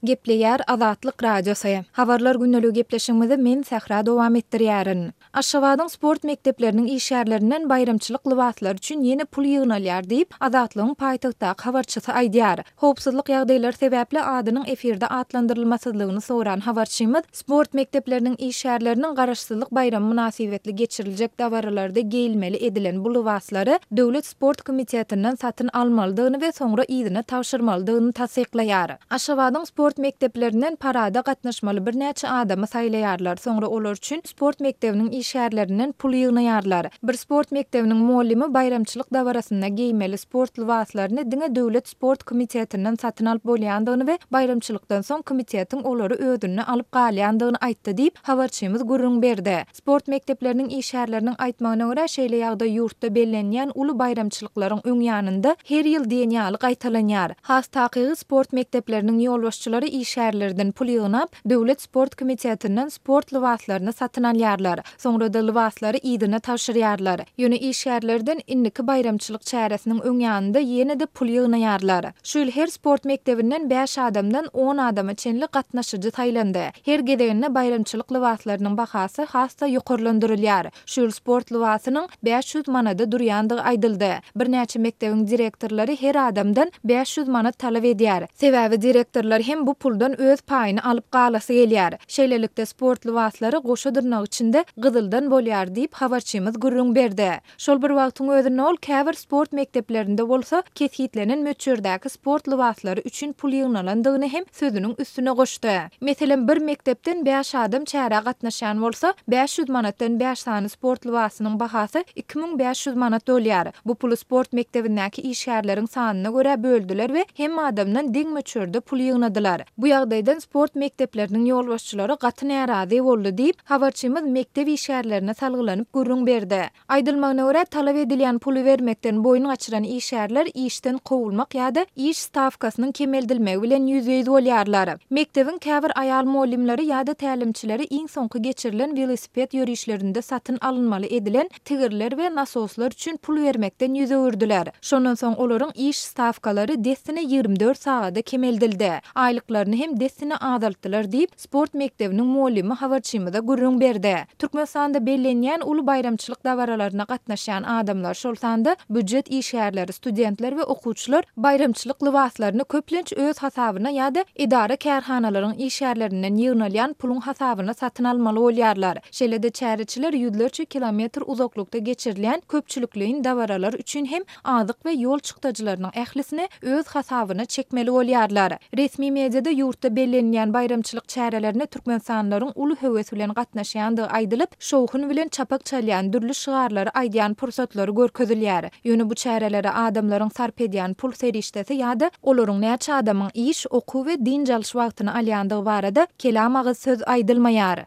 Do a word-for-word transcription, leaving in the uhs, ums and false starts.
Gepleýär Azatlyk Radiosy. Habarlar gündeligi gepleşigimizi men Sähra dowam etdirýärin. Aşgabadyň sport mekdepleriniň işgärlerinden baýramçylyk lybaslary üçin ýene pul ýygnalýar diýip, Azatlygyň paýtagtdaky habarçysy aýdýar. Howpsuzlyk ýagdaýlary sebäpli adynyň efirde atlandyrylmasyzlygyny soran habarçymyz sport mekdepleriniň işgärleriniň Garaşsyzlyk baýramy mynasybetli geçiriljek dabaralarda geýilmeli edilen bu lybaslary Döwlet sport komitetinden satyn almalydygyny we soňra yzyna tabşyrmalydygyny tassyklaýar. Aşgabadyň sport mekdeplerinden parada gatnaşmaly birnäçe adamy saýlaýarlar, soňra olar üçin sport mekdebiniň işgärlerinden pul ýygnaýarlar. Bir sport mekdebiniň mugallymy baýramçylyk dabarasynda geýmeli sport lybaslaryny diňe Döwlet sport komitetinden satyn alyp bolýandygyny we baýramçylykdan soň komitetiň olary özünde alyp galýandygyny aýtdy diýip, habarçymyz gürrüň berdi. Sport mekdepleriniň işgärleriniň aýtmagyna görä, şeýle ýagdaý ýurtda bellenýän uly baýramçylyklaryň öň ýanynda her ýyl diýen ýaly gaýtalanýar. Has takygy, sport mekdepleriniň ýolbaşçylary işgärlerden pul ýygnap, Döwlet sport komitetinden sport lybaslaryny satyn alýarlar. Soňra-da lybaslary yzyna tabşyrýarlar. Ýöne işgärlerden indiki baýramçylyk çäresiniň öň ýanynda ýene-de pul ýygnaýarlar. Şu ýyl her sport mekdebinden bäş adamdan on adama çenli gatnaşyjy saýlandy. Her gezeginde baýramçylyk lybaslarynyň bahasy has-da ýokarlandyrylýar. Şu ýyl sport lybasynyň bäş ýüz manada durýandygy aýdyldy. Birnäçe mekdebiň direktorlary her adamdan bäş ýüz manat talap edýär. Sebäbi direktorlar hem bu puldan öz paýyny alyp galasy gelýär. Şeýlelikde, sport lybaslary goşa dyrnak içinde gyzyldan bolýar diýip, habarçymyz gürrüň berdi. Şol bir wagtyň özünde ol käbir sport mekdeplerinde bolsa kesgitlenen möçberdäki sport lybaslary üçin pul ýygnalandygyny hem sözüniň üstüne goşdy. Meselem, bir mekdepden bäş adam çärä gatnaşýan bolsa, bäş ýüz manatdan bäş sany sport lybasynyň bahasy iki müň bäş ýüz manat bolýar. Bu puly sport mekdebindäki işgärleriň sanyna görä böldüler we hemme adamdan deň möçberde pul ýygnadylar. Bu ýagdaýdan sport mekdepleriniň ýolbaşçylary gaty närazy boldy diýip, habarçymyz mekdep işgärlerine salgylanyp gürrüň berdi. Aýdylmagyna görä, talap edilýän puly bermekden boýun gaçyran işgärler işden kowulmak ýa-da iş stawkasynyň kemeldilmegi bilen ýüzbe-ýüz bolýarlar. Mekdebiň käbir aýal mugallymlary ýa-da tälimçileri iň soňky geçirilen welosiped ýörişlerinde satyn alynmaly edilen tigirler we nasoslar üçin pul bermekden ýüz öwürdiler. Şondan soň olaryň iş stawkalary dessine ýigrimi dört sagada kemeldildi. Aýlyklaryny hem dessine azaltdylar diýip, sport mekdebiniň mugallymy habarçymyza gürrüň berdi. Türkmenistanda bellenýän uly baýramçylyk dabaralaryna gatnaşýan adamlar, şol sanda býujet işgärleri, studentler we okuwçylar baýramçylyk lybaslaryny köplenç öz hasabyna ýa-da edara-kärhanalaryň işgärlerinden ýygnalýan puluň hasabyna satyn almaly bolýarlar. Şeýle-de çäreçiler ýüzlerçe kilometr uzaklykda geçirilýän köpçülikleýin dabaralar üçin hem azyk we ýol çykdajylarynyň ählisini öz hasabyna çekmeli bolýarlar. Resmi mediada ýurtda bellenilýän baýramçylyk çärelerine türkmenistanlylaryň uly höwes bilen gatnaşýandygy aýdylyp, şowhun bilen çapak çalýan dürli şygarlary aýdýan pursatlary görkezilýär. Ýöne bu çärelere adamlaryň sarp edýän pul serişdesi ýa-da olaryň näçe adamyň iş, okuw we dynç alyş wagtyny alýandygy barada kelam agyz söz aýdylmaýar.